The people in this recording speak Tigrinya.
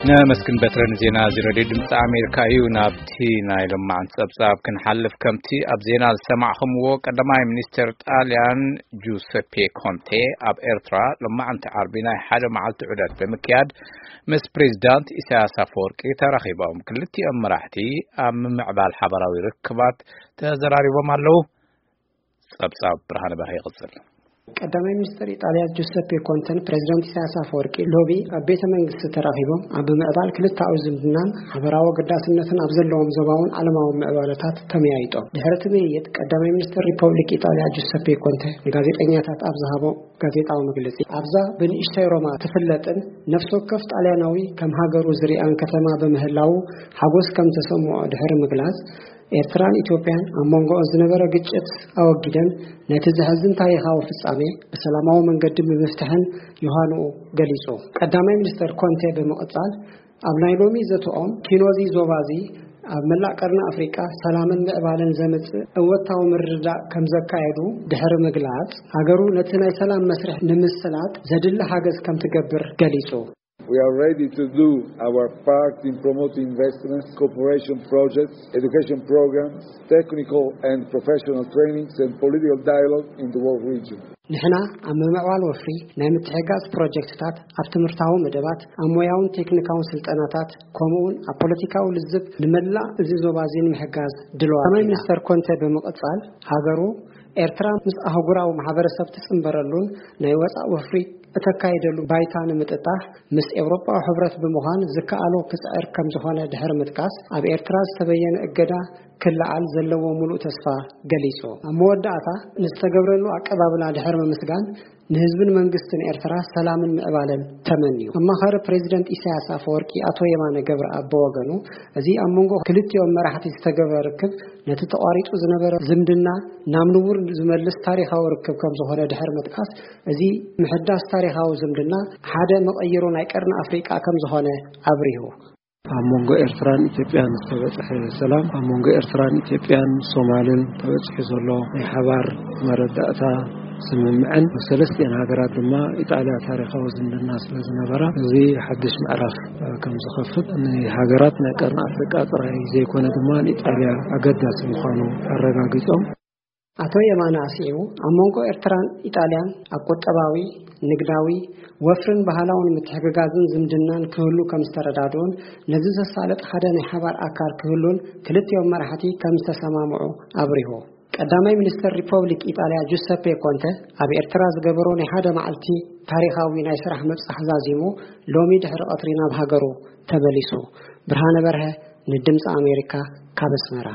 ነመስግን በትረ ንዜና እዚ ሬድዮ ድምፂ ኣሜሪካ እዩ። ናብቲ ናይ ሎማዓንቲ ፀብፃብ ክንሓልፍ፣ ከምቲ ኣብ ዜና ዝሰማዕኹምዎ፣ ቀዳማይ ሚኒስትር ጣልያን ጁሰፔ ኮንቴ ኣብ ኤርትራ ሎማዓንቲ ዓርቢ ናይ ሓደ መዓልቲ ዑደት ብምክያድ ምስ ፕሬዚዳንት ኢሳያስ ኣፈወርቂ ተራኺቦም። ክልቲኦም መራሕቲ ኣብ ምምዕባል ሓበራዊ ርክባት ተዘራሪቦም ኣለዉ። ጸብጻብ ብርሃነ በርሀ ይቕጽል። ቀዳማይ ሚኒስትር ኢጣልያ ጁሰፔ ኮንተን ፕሬዚዳንት ኢሳያስ ኣፈወርቂ ሎሚ ኣብ ቤተ መንግስቲ ተራኺቦም ኣብ ምዕባል ክልተኣዊ ዝምድናን ሓበራዊ ኣገዳስነትን ኣብ ዘለዎም ዞባውን ዓለማዊ ምዕባለታት ተመያይጦም። ድሕሪ እቲ ምይይጥ ቀዳማይ ሚኒስትር ሪፐብሊክ ኢጣልያ ጁሰፔ ኮንተ ንጋዜጠኛታት ኣብ ዝሃቦ ጋዜጣዊ መግለጺ፣ ኣብዛ ብንእሽተይ ሮማ ትፍለጥን ነፍሲ ወከፍ ጣልያናዊ ከም ሃገሩ ዝሪኣን ከተማ ብምህላዉ ሓጎስ ከም ተሰምዖ ድሕሪ ምግላጽ፣ ኤርትራን ኢትዮጵያን ኣብ መንጎኦን ዝነበረ ግጭት ኣወጊደን ነቲ ዘሕዝን ታሪኻዊ ፍጻሜ ብሰላማዊ መንገዲ ብምፍታሕን ዮሃንኡ ገሊጹ። ቀዳማይ ሚኒስተር ኮንቴ ብምቕጻል፣ ኣብ ናይ ሎሚ ዘተኦም ኪኖዚ ዞባዚ ኣብ መላእ ቀርኒ ኣፍሪቃ ሰላምን ምዕባለን ዘምጽእ እወታዊ ምርድዳእ ከም ዘካየዱ ድሕሪ ምግላጽ፣ ሃገሩ ነቲ ናይ ሰላም መስርሕ ንምስላጥ ዘድሊ ሓገዝ ከም ትገብር ገሊጹ። We are ready to do our part in promoting investments, cooperation projects, education programs, technical and professional trainings, and political dialogue in the world region. ንሕና ኣብ ምምዕባል ወፍሪ ናይ ምትሕጋዝ ፕሮጀክትታት፣ ኣብ ትምህርታዊ መደባት፣ ኣብ ሞያውን ቴክኒካውን ስልጠናታት፣ ከምኡውን ኣብ ፖለቲካዊ ልዝብ ንመላእ እዚ ዞባ እዚ ንምሕጋዝ ድልዋት ቀዳማይ ኢና። ሚኒስተር ኮንተ ብምቕጻል፣ ሃገሩ ኤርትራ ምስ ኣህጉራዊ ማሕበረሰብ ትጽንበረሉን ናይ ወጻእ ወፍሪ እተካይደሉ ባይታ ንምጥጣሕ ምስ ኤውሮጳዊ ሕብረት ብምዃን ዝከኣሎ ክጽዕር ከም ዝኾነ ድሕሪ ምጥቃስ፣ ኣብ ኤርትራ ዝተበየነ እገዳ ክለዓል ዘለዎ ምሉእ ተስፋ ገሊጹ። ኣብ መወዳእታ ንዝተገብረሉ ኣቀባብላ ድሕሪ ምምስጋን፣ ንህዝብን መንግስትን ኤርትራ ሰላምን ምዕባለን ተመንዩ። ኣማኻሪ ፕሬዚደንት ኢሳያስ ኣፈወርቂ ኣቶ የማነ ገብረኣብ ብወገኑ፣ እዚ ኣብ መንጎ ክልቲኦም መራሕቲ ዝተገብረ ርክብ ነቲ ተቋሪጹ ዝነበረ ዝምድና ናብ ንቡር ዝመልስ ታሪኻዊ ርክብ ከም ዝኾነ ድሕሪ ምጥቃስ፣ እዚ ምሕዳስ ታሪኻዊ ዝምድና ሓደ መቐይሮ ናይ ቀርኒ ኣፍሪቃ ከም ዝኾነ ኣብሪሁ። ኣብ መንጎ ኤርትራን ኢትዮጵያን ዝተበጽሐ ሰላም፣ ኣብ መንጎ ኤርትራን ኢትዮጵያን ሶማልን ተበጺሑ ዘሎ ናይ ሓባር መረዳእታ ስምምዕን፣ ሰለስቲአን ሃገራት ድማ ኢጣልያ ታሪኻዊ ዝምድና ስለ ዝነበራ፣ እዚ ሓድሽ ምዕራፍ ከም ዝኸፍት፣ ንሃገራት ናይ ቀርኒ ኣፍሪቃ ጥራይ ዘይኮነ ድማ ንኢጣልያ ኣገዳሲ ምዃኑ ኣረጋጊጾም። ኣቶ የማነ ኣስዒቡ፣ ኣብ መንጎ ኤርትራን ኢጣልያን ኣብ ቁጠባዊ፣ ንግዳዊ፣ ወፍርን ባህላውን ምትሕግጋዝን ዝምድናን ክህሉ ከም ዝተረዳድኡን፣ ነዚ ዘሳልጥ ሓደ ናይ ሓባር ኣካል ክህሉን ክልቲኦም መራሕቲ ከም ዝተሰማምዑ ኣብሪሁ። ቀዳማይ ሚኒስተር ሪፐብሊክ ኢጣልያ ጁሰፔ ኮንተ ኣብ ኤርትራ ዝገበሮ ናይ ሓደ መዓልቲ ታሪኻዊ ናይ ስራሕ ምብጻሕ ዛዚሙ፣ ሎሚ ድሕሪ ቀትሪ ናብ ሃገሩ ተመሊሱ። ብርሃነ በርሀ ንድምፂ ኣሜሪካ ካብ ኣስመራ።